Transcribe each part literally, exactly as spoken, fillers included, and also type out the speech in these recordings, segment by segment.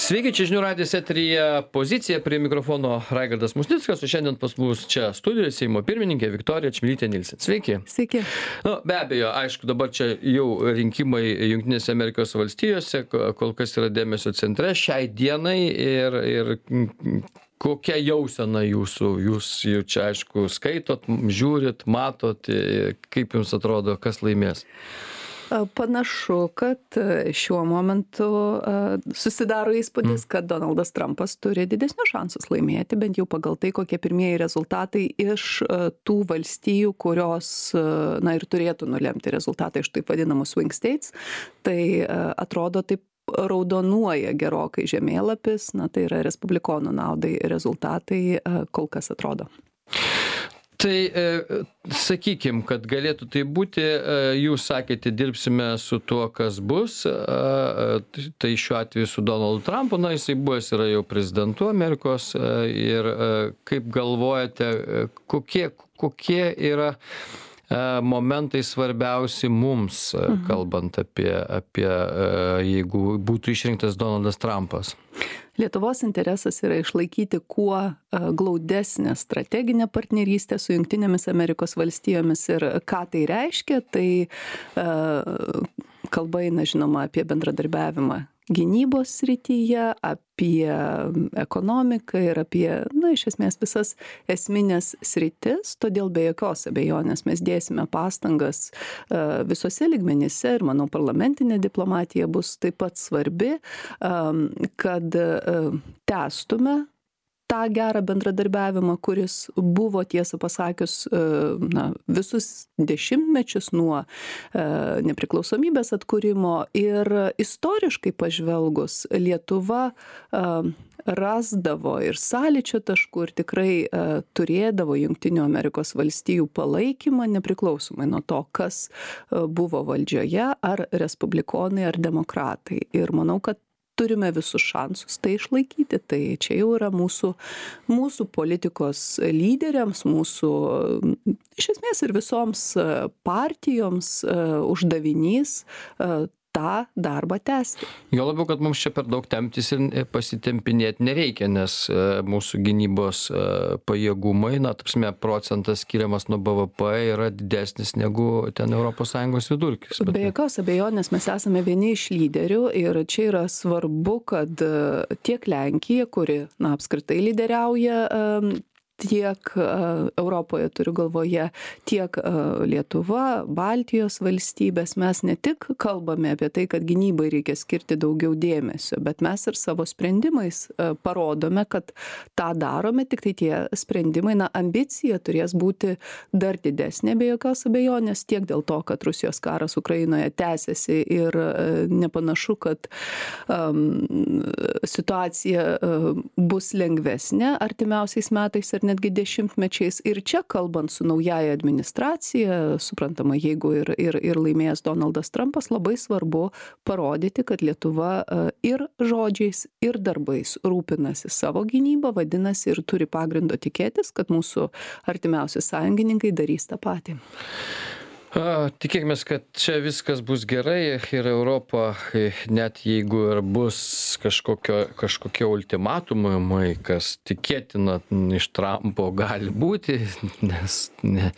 Sveiki, čia žinių radijas eteryje Pozicija, prie mikrofono Raigardas Musnickas, o šiandien pas mus čia studijoje Seimo pirmininkė Viktorija Čmilytė Nilsen. Sveiki. Sveiki. Nu, be abejo, aišku, dabar čia jau rinkimai Jungtinėse Amerikos valstijose, kol kas yra dėmesio centre šiai dienai ir, ir kokia jausena jūsų, jūs jau čia, aišku, skaitot, žiūrit, matot, kaip jums atrodo, kas laimės? Panašu, kad šiuo momentu susidaro įspūdis, kad Donaldas Trumpas turi didesnius šansus laimėti, bent jau pagal tai, kokie pirmieji rezultatai iš tų valstijų, kurios, na, ir turėtų nulemti rezultatai iš taip vadinamų swing states. Tai atrodo taip raudonuoja gerokai žemėlapis, na, tai yra respublikonų naudai rezultatai kol kas atrodo. Tai e, sakykim, kad galėtų tai būti, e, jūs sakėte, dirbsime su tuo, kas bus, e, tai šiuo atveju su Donaldu Trumpu, na, jisai buvęs yra jau prezidentu Amerikos e, ir e, kaip galvojate, e, kokie, kokie yra e, momentai svarbiausi mums, e, kalbant apie, apie e, jeigu būtų išrinktas Donaldas Trumpas? Lietuvos interesas yra išlaikyti kuo glaudesnę strateginę partnerystę su Jungtinėmis Amerikos valstijomis ir ką tai reiškia, tai kalba eina žinoma apie bendradarbiavimą gynybos srityje, apie ekonomiką ir apie, na, iš esmės visas esminės sritis, todėl be jokios abejonės mes dėsime pastangas visose lygmenyse ir, manau, parlamentinė diplomatija bus taip pat svarbi, kad tęstume tą gerą bendradarbiavimą, kuris buvo, tiesą pasakius, na, visus dešimtmečius nuo nepriklausomybės atkūrimo ir istoriškai pažvelgus Lietuva rasdavo ir sąlyčio taškų ir tikrai turėdavo Jungtinių Amerikos valstijų palaikymą nepriklausomai nuo to, kas buvo valdžioje, ar respublikonai, ar demokratai. Ir manau, kad turime visus šansus tai išlaikyti. Tai čia jau yra mūsų, mūsų politikos lyderiams, mūsų, iš esmės ir visoms partijoms uždavinys tą darbą tęsti. Jo labiau, kad mums čia per daug temptis ir pasitempinėti nereikia, nes mūsų gynybos pajėgumai, na, tapsime, procentas skiriamas nuo B V P yra didesnis negu ten Europos Sąjungos vidurkis. Be jokios abejonės mes esame vieni iš lyderių ir čia yra svarbu, kad tiek Lenkija, kuri, na, apskritai lyderiauja tiek Europoje, turiu galvoje, tiek Lietuva, Baltijos valstybės, mes ne tik kalbame apie tai, kad gynybai reikia skirti daugiau dėmesio, bet mes ir savo sprendimais parodome, kad tą darome, tik tai tie sprendimai, na, ambicija turės būti dar didesnė, be jokios abejonės, tiek dėl to, kad Rusijos karas Ukrainoje tęsiasi ir nepanašu, kad um, situacija um, bus lengvesnė artimiausiais metais ir netgi dešimtmečiais. Ir čia, kalbant su naujaja administracija, suprantama, jeigu ir, ir, ir laimėjęs Donaldas Trumpas, labai svarbu parodyti, kad Lietuva ir žodžiais, ir darbais rūpinasi savo gynybą, vadinasi, ir turi pagrindo tikėtis, kad mūsų artimiausi sąjungininkai darys tą patį. A, tikėkimės, kad čia viskas bus gerai ir Europa, net jeigu ir bus kažkokio, kažkokie ultimatumai, kas tikėtina iš Trumpo gali būti, nes ne,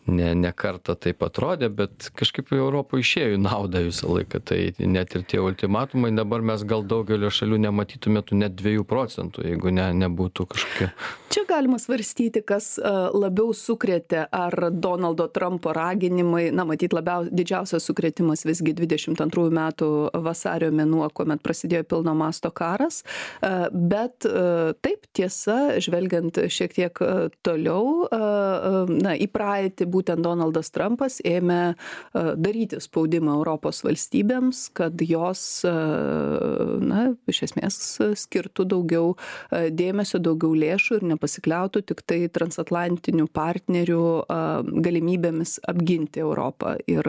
ne, ne kartą taip atrodė, bet kažkaip Europo išėjo į naudą visą laiką. Tai net ir tie ultimatumai, dabar mes gal daugelio šalių nematytumėtų net dviejų procentų, jeigu ne, nebūtų kažkokie. Čia galima svarstyti, kas labiau sukrėtė, ar Donaldo Trumpo raginimai, na, matyt, labiau didžiausias sukrėtimas visgi dvidešimt antrųjų metų vasario mėnuo, kuomet prasidėjo pilno masto karas, bet taip, tiesa, žvelgiant šiek tiek toliau, na, į praeitį būtent Donaldas Trumpas ėmė daryti spaudimą Europos valstybėms, kad jos, na, iš esmės skirtų daugiau dėmesio, daugiau lėšų ir nepasikliautų tik tai transatlantinių partnerių galimybėmis apginti Europą. Ir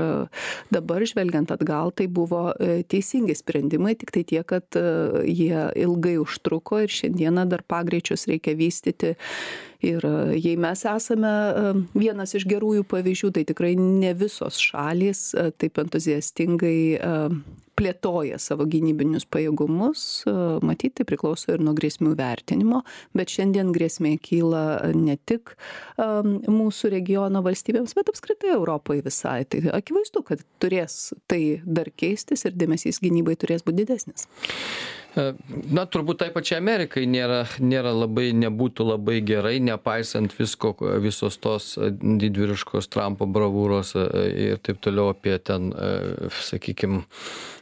dabar, žvelgiant atgal, tai buvo teisingi sprendimai, tik tai tiek, kad jie ilgai užtruko ir šiandieną dar pagreičius reikia vystyti Ir jei mes esame vienas iš gerųjų pavyzdžių, tai tikrai ne visos šalys taip entuziastingai plėtoja savo gynybinius pajėgumus, matyt, tai priklauso ir nuo grėsmių vertinimo, bet šiandien grėsmė kyla ne tik mūsų regiono valstybėms, bet apskritai Europai visai. Tai akivaizdu, kad turės tai dar keistis ir dėmesys gynybai turės būti didesnis. Na, turbūt tai pačiai Amerikai nėra, nėra labai, nebūtų labai gerai, nepaisant visko, visos tos didvyriškos Trumpo bravūros ir taip toliau apie ten, sakykime,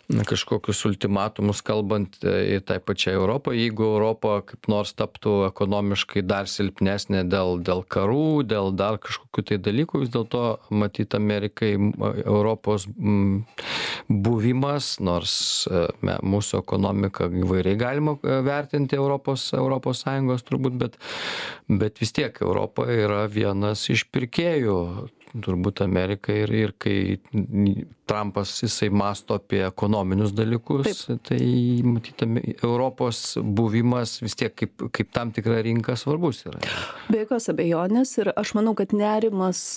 kažkokius ultimatumus kalbant ir tai pačiai Europai. Jeigu Europa kaip nors taptų ekonomiškai dar silpnesnė dėl, dėl karų, dėl dar kažkokių tai dalykų, vis dėlto matyti Amerikai Europos buvimas, nors me, mūsų ekonomiką įvairiai galima vertinti Europos, Europos Sąjungos turbūt, bet, bet vis tiek Europa yra vienas iš pirkėjų turbūt Amerikai ir, ir kai Trumpas jisai masto apie ekonominius dalykus, taip, tai matytame Europos buvimas vis tiek kaip, kaip tam tikra rinka svarbus yra. Be jokios abejonės ir aš manau, kad nerimas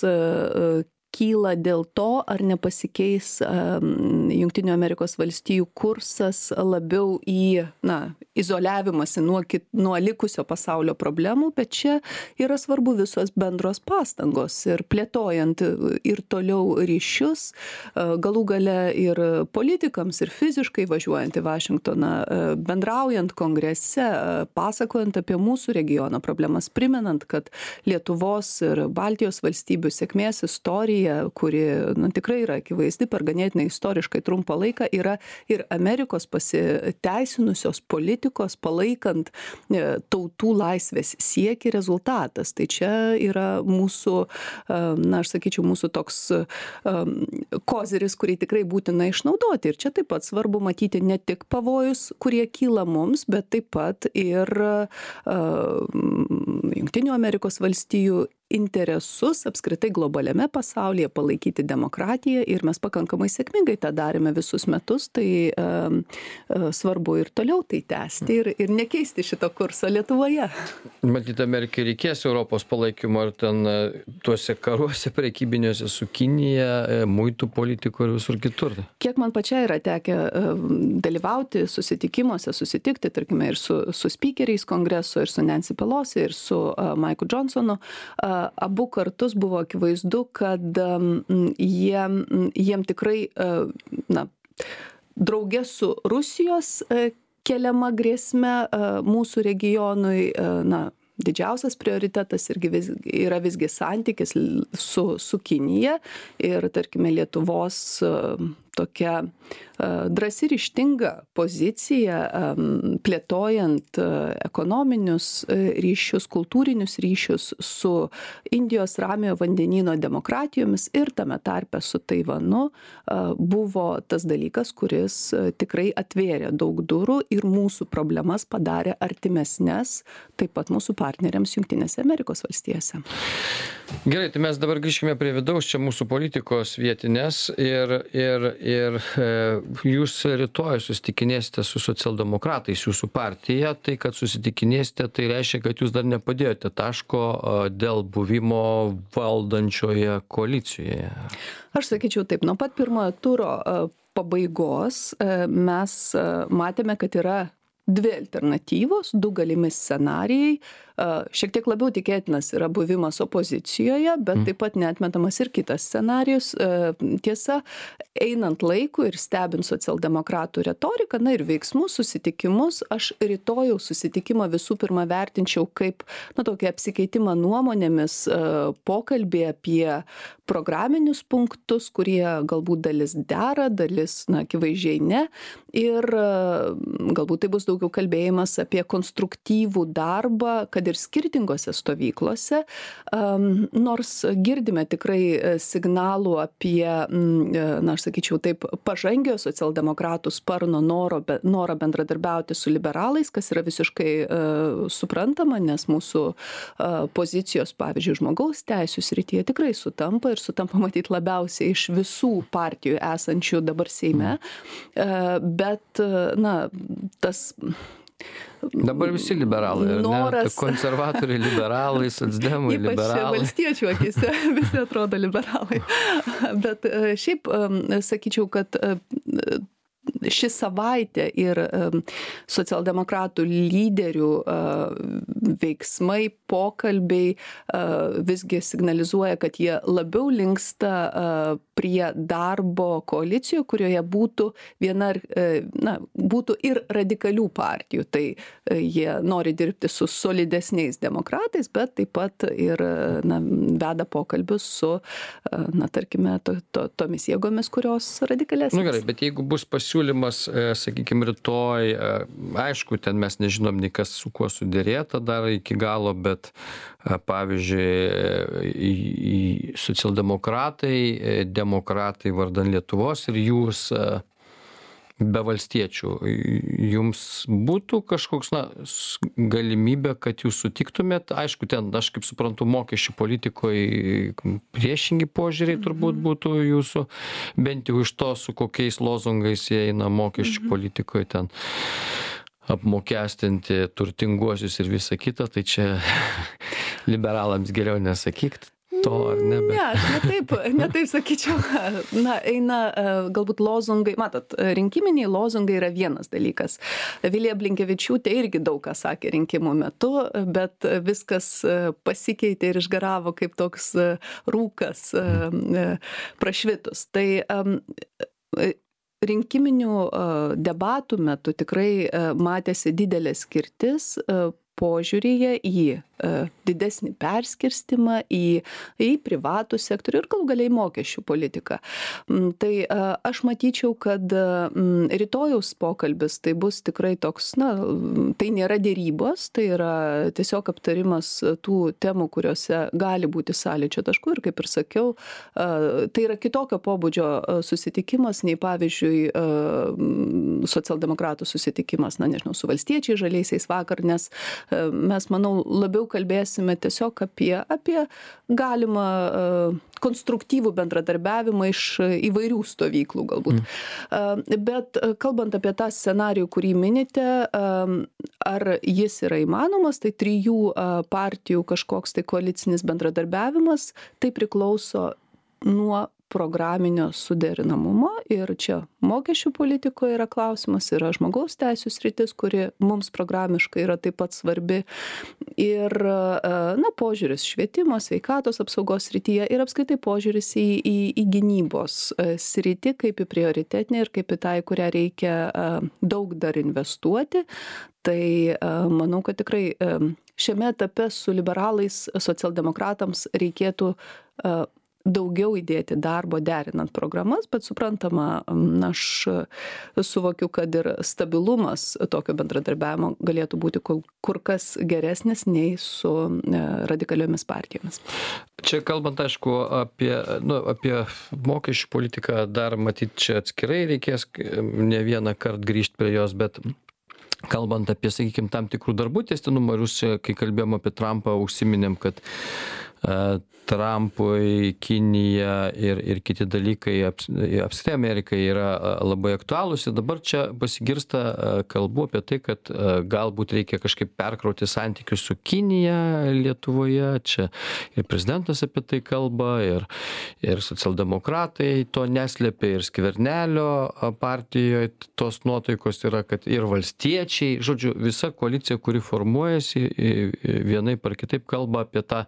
kyla dėl to, ar nepasikeis um, Jungtinių Amerikos valstijų kursas labiau į, na, izoliavimąsi nuo, kit, nuo likusio pasaulio problemų, bet čia yra svarbu visos bendros pastangos ir plėtojant ir toliau ryšius, galų gale ir politikams, ir fiziškai važiuojant į Vašingtoną, bendraujant kongrese, pasakojant apie mūsų regiono problemas, primenant, kad Lietuvos ir Baltijos valstybių sėkmės istorija, kuri nu, tikrai yra akivaizdi per ganėtinai istoriškai trumpą laiką, yra ir Amerikos pasiteisinusios politikos palaikant tautų laisvės siekį rezultatas. Tai čia yra mūsų, na, aš sakyčiau, mūsų toks koziris, kurį tikrai būtina išnaudoti. Ir čia taip pat svarbu matyti ne tik pavojus, kurie kyla mums, bet taip pat ir Jungtinių Amerikos valstijų interesus apskritai globaliame pasaulyje palaikyti demokratiją ir mes pakankamai sėkmingai tą darėme visus metus, tai um, svarbu ir toliau tai tęsti ir, ir nekeisti šito kurso Lietuvoje. Matyt, Amerikai reikės Europos palaikymo ir ten tuose karuose prekybiniuose su Kinija, muitų politikų ir visur kitur. Kiek man pačiai yra tekę dalyvauti susitikimuose, susitikti, tarkime, ir su, su speakeriais kongreso, ir su Nancy Pelosi, ir su uh, Mike'u Johnsonu, uh, abu kartus buvo akivaizdu, kad jie, jiem tikrai, na, draugė su Rusijos keliama grėsme mūsų regionui, na, didžiausias prioritetas irgi vis, yra visgi santykis su, su Kinija ir, tarkime, Lietuvos tokia drąsi ryžtinga pozicija, plėtojant ekonominius ryšius, kultūrinius ryšius su Indijos ramiojo vandenyno demokratijomis ir tame tarpe su Taivanu, buvo tas dalykas, kuris tikrai atvėrė daug durų ir mūsų problemas padarė artimesnes taip pat mūsų partneriams Jungtinėse Amerikos valstijose. Gerai, tai mes dabar grįžkime prie vidaus čia mūsų politikos vietinės ir, ir, ir e, jūs rytoj susitikinėsite su socialdemokratais, jūsų partija, tai kad susitikinėsite, tai reiškia, kad jūs dar nepadėjote taško dėl buvimo valdančioje koalicijoje. Aš sakyčiau taip, nuo pat pirmojo turo pabaigos mes matėme, kad yra dvi alternatyvos, du galimi scenarijai. Šiek tiek labiau tikėtinas yra buvimas opozicijoje, bet taip pat neatmetamas ir kitas scenarijus. Tiesa, einant laiku ir stebint socialdemokratų retoriką, na ir veiksmus, susitikimus, aš rytojaus susitikimą visų pirma vertinčiau kaip, na, tokį apsikeitimą nuomonėmis, pokalbį apie programinius punktus, kurie galbūt dalis dera, dalis, na, akivaizdžiai ne. Ir galbūt tai bus daugiau kalbėjimas apie konstruktyvų darbą, kad ir skirtingose stovyklose, um, nors girdime tikrai signalų apie, na, aš sakyčiau taip, pažangio socialdemokratų sparno noro, be, noro bendradarbiauti su liberalais, kas yra visiškai uh, suprantama, nes mūsų uh, pozicijos, pavyzdžiui, žmogaus teisių srityje tikrai sutampa ir sutampa matyti labiausiai iš visų partijų esančių dabar Seime, uh, bet, uh, na, tas Dabar visi liberalai, noras... ne? Konservatoriai liberalai, socdemai liberalai. Ypač valstiečių akise visi atrodo liberalai. Bet šiaip sakyčiau, kad ši savaitė ir socialdemokratų lyderių veiksmai, pokalbiai visgi signalizuoja, kad jie labiau linksta prie darbo koalicijoje, kurioje būtų viena, na, būtų ir radikalių partijų. Tai jie nori dirbti su solidesniais demokratais, bet taip pat ir, na, veda pokalbius su, na, tarkime, to, to, tomis jėgomis, kurios radikalesnės. Nu gerai, bet jeigu bus pasiūlymas, sakykime, rytoj, aišku, ten mes nežinom nei kas su kuo sudėrėta dar iki galo, bet pavyzdžiui, socialdemokratai, demokratai vardan Lietuvos ir jūs be valstiečių, jums būtų kažkoks, na, galimybė, kad jūs sutiktumėt, aišku, ten, aš kaip suprantu, mokesčių politikoje priešingi požiūriai turbūt būtų jūsų, bent jau iš to, su kokiais lozungais jie eina mokesčių politikoje ten apmokestinti turtinguosius ir visą kitą, tai čia liberalams geriau nesakyk to, ar ne? Bet... Ne, aš netaip, netaip sakyčiau. Na, eina galbūt lozungai, matot, rinkiminiai lozungai yra vienas dalykas. Vilija Blinkevičiūtė irgi daug ką sakė rinkimų metu, bet viskas pasikeitė ir išgaravo kaip toks rūkas prašvitus. Tai rinkiminių debatų metu tikrai matėsi didelė skirtis požiūryje į didesnį perskirstimą į, į privatų sektorių ir galų galiai mokesčių politiką. Tai aš matyčiau, kad rytojaus pokalbis tai bus tikrai toks, na, tai nėra dėrybos, tai yra tiesiog aptarimas tų temų, kuriuose gali būti sąlyčio taškų ir kaip ir sakiau, tai yra kitokio pobūdžio susitikimas nei pavyzdžiui socialdemokratų susitikimas, na, nežinau, su valstiečiais žaliaisiais vakar, nes mes, manau, labiau kalbėsime tiesiog apie, apie galimą uh, konstruktyvų bendradarbiavimą iš įvairių stovyklų galbūt. Mm. Uh, bet uh, kalbant apie tą scenarijų, kurį minite, uh, ar jis yra įmanomas, tai trijų uh, partijų kažkoks tai koalicinis bendradarbiavimas, tai priklauso nuo programinio suderinamumo ir čia mokesčių politikoje yra klausimas, yra žmogaus teisių sritis, kuri mums programiškai yra taip pat svarbi ir, na, požiūris švietimo, sveikatos apsaugos srityje ir apskaitai požiūris į, į, į gynybos sritį kaip į prioritetinį ir kaip į tą, į kurią reikia daug dar investuoti. Tai manau, kad tikrai šiame etape su liberalais socialdemokratams reikėtų daugiau įdėti darbo derinant programas, bet suprantama, aš suvokiu, kad ir stabilumas tokio bendradarbiavimo galėtų būti kur kas geresnis nei su radikaliomis partijomis. Čia kalbant, aišku, apie, nu, apie mokesčių politiką dar matyt čia atskirai reikės ne vieną kartą grįžti prie jos, bet kalbant apie, sakykime, tam tikrų darbų tęstinumą, ir jūs čia, kai kalbėjom apie Trumpą, užsiminėm, kad uh, Trumpui, Kinija ir, ir kiti dalykai apskritai Amerikai yra labai aktualūs ir dabar čia pasigirsta kalbų apie tai, kad galbūt reikia kažkaip perkrauti santykius su Kinija Lietuvoje, čia ir prezidentas apie tai kalba, ir, ir socialdemokratai to neslėpia, ir Skvernelio partijoje tos nuotaikos yra, kad ir valstiečiai, žodžiu, visa koalicija, kuri formuojasi, vienaip ar kitaip kalba apie tą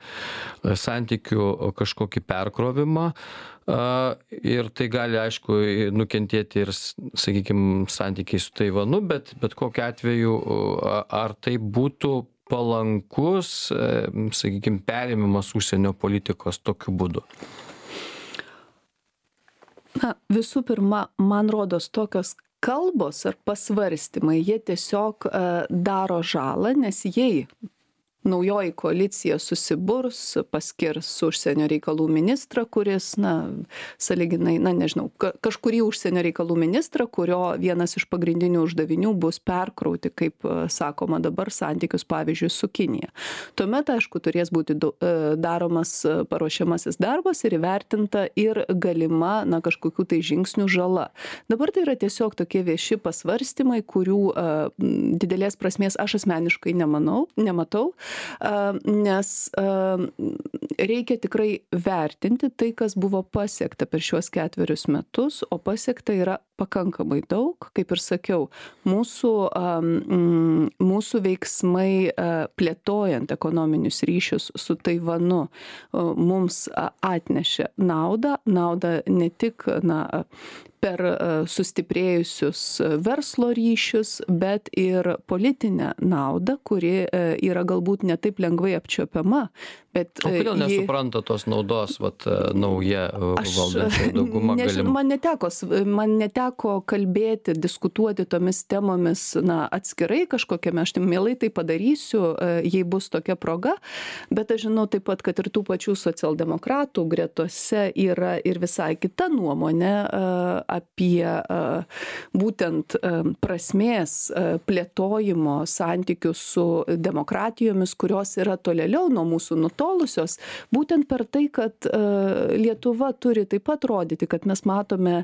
santykių kažkokį perkrovimą ir tai gali, aišku, nukentėti ir, sakykime, santykiai su Taivanu, bet, bet kokiu atveju, ar tai būtų palankus, sakykime, perėmimas užsienio politikos tokiu būdu? Na, visų pirma, man rodos tokios kalbos ar pasvarstymai, jie tiesiog daro žalą, nes jei naujoji koalicija susiburs, paskirs užsienio reikalų ministrą, kuris, na, sąlyginai, na, nežinau, kažkurį užsienio reikalų ministrą, kurio vienas iš pagrindinių uždavinių bus perkrauti, kaip sakoma dabar, santykius, pavyzdžiui, su Kinija. Tuomet, aišku, turės būti daromas paruošiamasis darbas ir įvertinta ir galima, na, kažkokių tai žingsnių žala. Dabar tai yra tiesiog tokie vieši pasvarstymai, kurių uh, didelės prasmės aš asmeniškai nemanau, nematau, uh, nes uh, reikia tikrai vertinti tai, kas buvo pasiekta per šiuos ketverius metus, o pasiekta yra pakankamai daug, kaip ir sakiau, mūsų, um, mūsų veiksmai uh, plėtojant ekonominius ryšius su Taivanu uh, mums uh, atnešė naudą, naudą ne tik, na, per sustiprėjusius verslo ryšius, bet ir politinę naudą, kuri yra galbūt ne taip lengvai apčiuopiama. Bet o kodėl ji... nesupranta tos naudos, vat, nauja valdančioji dauguma galima? Man neteko, man neteko kalbėti, diskutuoti tomis temomis, na, atskirai kažkokiame, aš tai mielai tai padarysiu, jei bus tokia proga, bet aš žinau taip pat, kad ir tų pačių socialdemokratų gretose yra ir visai kita nuomonė apie būtent prasmės plėtojimo santykių su demokratijomis, kurios yra tolėliau nuo mūsų nutolusios, būtent per tai, kad Lietuva turi taip pat rodyti, kad mes matome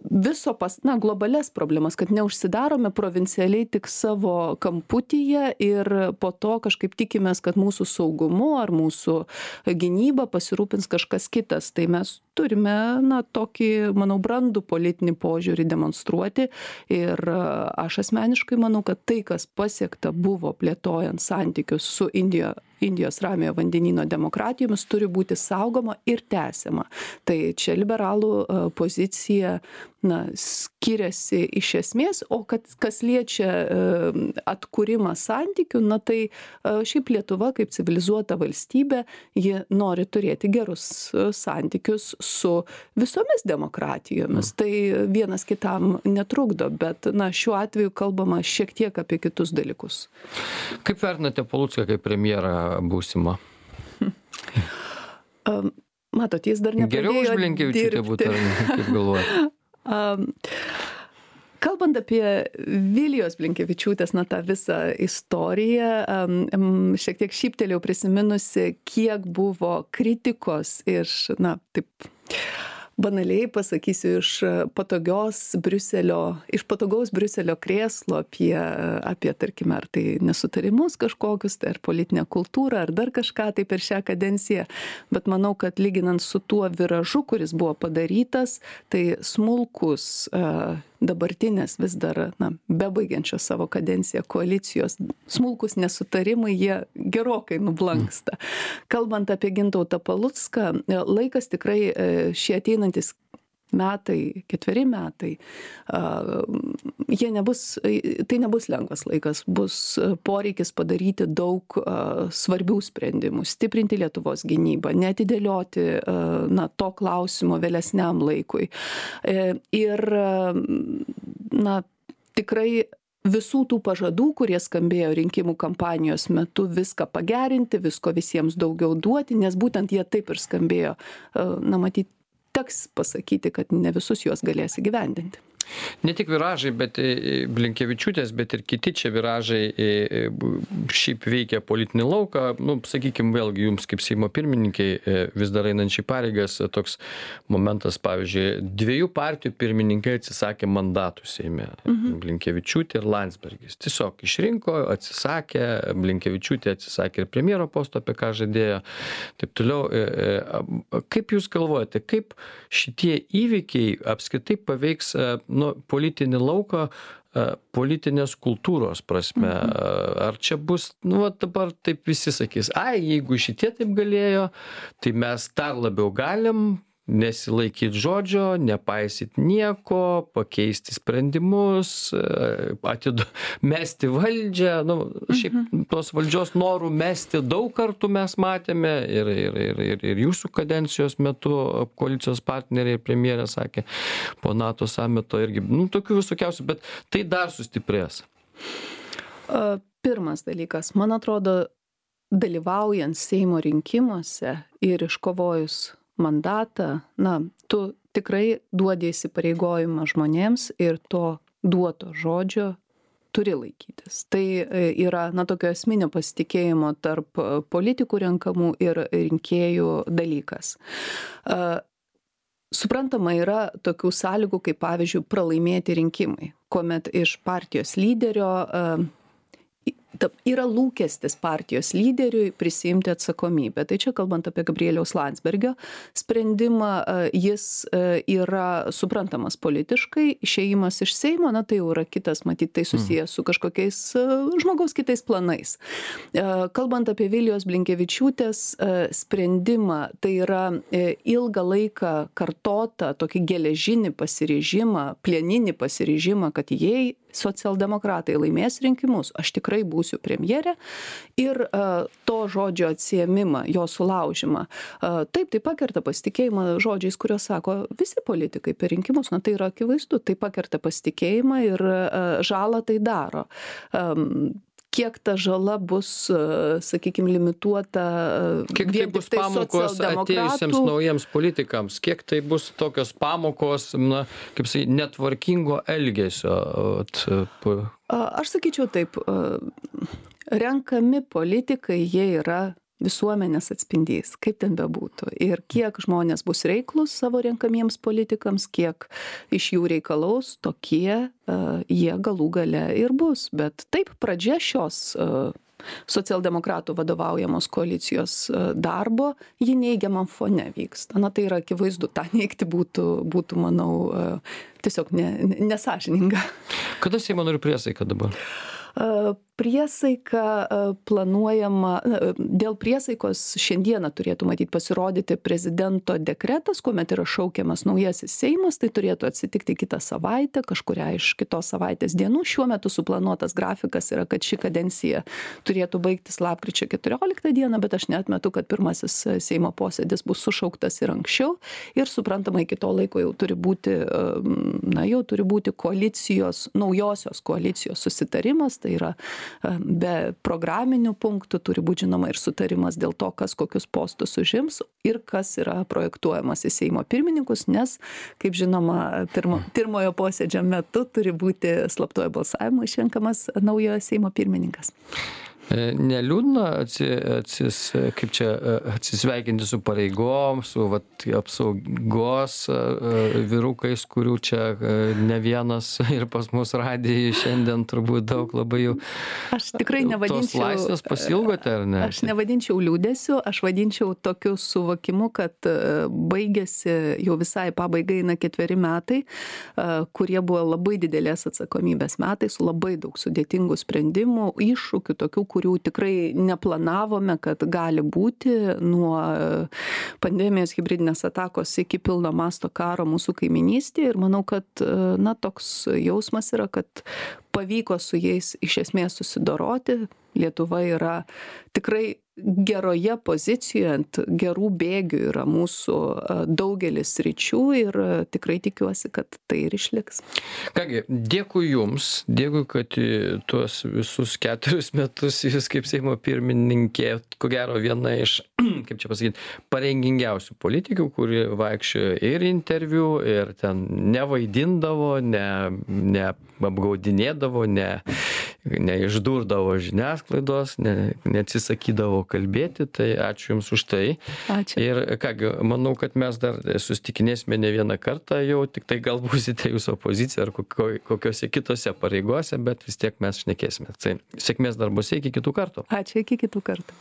viso pas, na, globales problemas, kad neužsidarome provincialiai tik savo kamputyje ir po to kažkaip tikimės, kad mūsų saugumu ar mūsų gynyba pasirūpins kažkas kitas. Tai mes turime, na, tokį, manau, brandų politinį požiūrį demonstruoti ir aš asmeniškai manau, kad tai, kas pasiekta buvo plėtojant santykius su Indija, Indijos Ramiojo vandenyno demokratijomis, turi būti saugoma ir tęsiama. Tai čia liberalų pozicija, na, skiriasi iš esmės, o kad, kas liečia atkūrimą santykių, na, tai šiaip Lietuva kaip civilizuota valstybė, ji nori turėti gerus santykius su visomis demokratijomis. Tai vienas kitam netrukdo, bet, na, šiuo atveju kalbama šiek tiek apie kitus dalykus. Kaip vertinate Palucką kaip premjerą būsimą? Matot, jis dar nepradėjo dirbti. Geriau už Blinkevičiūtę būtų, kaip galvojate? Um, kalbant apie Vilijos Blinkevičiūtės, na, tą visą istoriją, um, šiek tiek šyptelėjau prisiminusi, kiek buvo kritikos iš, na, taip, banaliai pasakysiu, iš patogios Briuselio, iš patogaus Briuselio krėslo apie, apie, tarkime, ar tai nesutarimus kažkokius, tai ar politinę kultūrą, ar dar kažką tai per šią kadenciją. Bet manau, kad lyginant su tuo viražu, kuris buvo padarytas, tai smulkus dabartinės vis dar, na, bebaigiančios savo kadenciją koalicijos smulkus nesutarimai, jie gerokai nublanksta. Kalbant apie Gintautą Palucką, laikas tikrai šie ateinantis metai, ketveri metai, jie nebus, tai nebus lengvas laikas, bus poreikis padaryti daug svarbių sprendimų, stiprinti Lietuvos gynybą, neatidėlioti, na, to klausimo vėlesniam laikui. Ir, na, tikrai visų tų pažadų, kurie skambėjo rinkimų kampanijos metu, viską pagerinti, visko visiems daugiau duoti, nes būtent jie taip ir skambėjo, na, matyti, teks pasakyti, kad ne visus juos galės įgyvendinti. Ne tik viražai, bet Blinkevičiūtės, bet ir kiti čia viražai šiaip veikia politinį lauką. Nu, sakykime, vėlgi jums kaip Seimo pirmininkai vis dar einančiai pareigas toks momentas, pavyzdžiui, dviejų partijų pirmininkai atsisakė mandatų Seime. Mhm. Blinkevičiūtė ir Landsbergis. Tiesiog išrinko, atsisakė, Blinkevičiūtė atsisakė ir premjero posto, apie ką žadėjo. Taip toliau. Kaip jūs galvojate, kaip šitie įvykiai apskritai paveiks nu, politinį lauką, politinės kultūros prasme. Ar čia bus, nu, va, dabar taip visi sakys, ai, jeigu šitie taip galėjo, tai mes dar labiau galim nesilaikyti žodžio, nepaisyti nieko, pakeisti sprendimus, atidu, mesti valdžią. Nu, šiaip tos valdžios norų mesti daug kartų mes matėme ir, ir, ir, ir, ir jūsų kadencijos metu koalicijos partneriai premjerė sakė po NATO samito irgi, nu, tokių visokiausių, bet tai dar sustiprės. Pirmas dalykas, man atrodo, dalyvaujant Seimo rinkimuose ir iškovojus mandatą, na, tu tikrai duodi įsipareigojimą žmonėms ir to duoto žodžio turi laikytis. Tai yra, na, tokio esminio pasitikėjimo tarp politikų renkamų ir rinkėjų dalykas. Suprantama, yra tokių sąlygų, kaip pavyzdžiui, pralaimėti rinkimai, kuomet iš partijos lyderio yra lūkestis partijos lyderiui prisiimti atsakomybę. Tai čia kalbant apie Gabrieliaus Landsbergio sprendimą, jis yra suprantamas politiškai, išėjimas iš Seimo, na tai jau yra kitas, matyt, tai susijęs su kažkokiais žmogaus kitais planais. Kalbant apie Vilijos Blinkevičiūtės sprendimą, tai yra ilgą laiką kartotą tokį geležinį pasiryžimą, plieninį pasiryžimą, kad jei socialdemokratai laimės rinkimus, aš tikrai būsiu premjerė ir uh, to žodžio atsiėmimą, jo sulaužimą. Uh, taip, tai pakerta pasitikėjimą žodžiais, kuriuos sako visi politikai per rinkimus, na tai yra akivaizdu, tai pakerta pasitikėjimą ir uh, žalą tai daro. Um, Kiek ta žala bus, sakykime, limituota. Kiek tai bus pamokos atėjusiems naujiems politikams? Kiek tai bus tokios pamokos, na, kaip sakai, netvarkingo elgesio? Aš sakyčiau taip, renkami politikai, jie yra visuomenės atspindys, kaip ten bebūtų. Ir kiek žmonės bus reiklus savo renkamiems politikams, kiek iš jų reikalaus, tokie uh, jie galų gale ir bus. Bet taip, pradžia šios uh, socialdemokratų vadovaujamos koalicijos uh, darbo, ji neigiamam fone vyksta. Na tai yra akivaizdu, tą neigti būtų, būtų manau, uh, tiesiog ne, ne, nesąžininga. Kada Seimo narių priesaika dabar? Priesaika planuojama, dėl priesaikos šiandieną turėtų matyti pasirodyti prezidento dekretas, kuomet yra šaukiamas naujasis Seimas, tai turėtų atsitikti kitą savaitę, kažkuria iš kitos savaitės dienų. Šiuo metu suplanuotas grafikas yra, kad ši kadencija turėtų baigtis lapkričio keturioliktą dieną, bet aš neatmetu, kad pirmasis Seimo posėdis bus sušauktas ir anksčiau ir suprantama, iki to laiko jau turi būti, na, jau turi būti koalicijos, naujosios koalicijos susitarimas. Tai yra be programinių punktų, turi būti žinoma ir sutarimas dėl to, kas kokius postus užims ir kas yra projektuojamas į Seimo pirmininkus, nes, kaip žinoma, pirmo, pirmojo posėdžio metu turi būti slaptuoju balsavimu išrenkamas naujojo Seimo pirmininkas. Neliūdna atsi, atsis, kaip čia, atsisveikinti su pareigom, su vat, apsaugos vyrukais, kurių čia ne vienas ir pas mus radijoje šiandien turbūt daug labai jau. Aš tikrai nevadinčiau. Tos laisvės pasilgote, ar ne? Aš nevadinčiau liūdėsiu, aš vadinčiau tokiu suvokimu, kad baigėsi jau visai pabaigai na ketveri metai, kurie buvo labai didelės atsakomybės metai, su labai daug sudėtingų sprendimų, iššūkių tokių, kurių tikrai neplanavome, kad gali būti nuo pandemijos hibridinės atakos iki pilno masto karo mūsų kaiminystėje. Ir manau, kad na, toks jausmas yra, kad pavyko su jais iš esmės susidoroti. Lietuva yra tikrai geroje pozicijoje, ant gerų bėgių yra mūsų daugelis sričių ir tikrai tikiuosi, kad tai ir išliks. Kągi, dėkui Jums, dėkui, kad tuos visus keturis metus Jūs kaip Seimo pirmininkė, ko gero viena iš, kaip čia pasakyti, pareigingiausių politikių, kuri vaikščiojo ir interviu, ir ten nevaidindavo, ne, neapgaudinėdavo, ne neišdurdavo žiniasklaidos, ne, neatsisakydavo kalbėti, tai ačiū Jums už tai. Ačiū. Ir kągi, manau, kad mes dar susitikinėsime ne vieną kartą jau, tik tai gal būsite Jūs opozicija ar kokio, kokiose kitose pareigose, bet vis tiek mes šnekėsime. Tai sėkmės darbuose, iki kitų kartų. Ačiū, iki kitų kartų.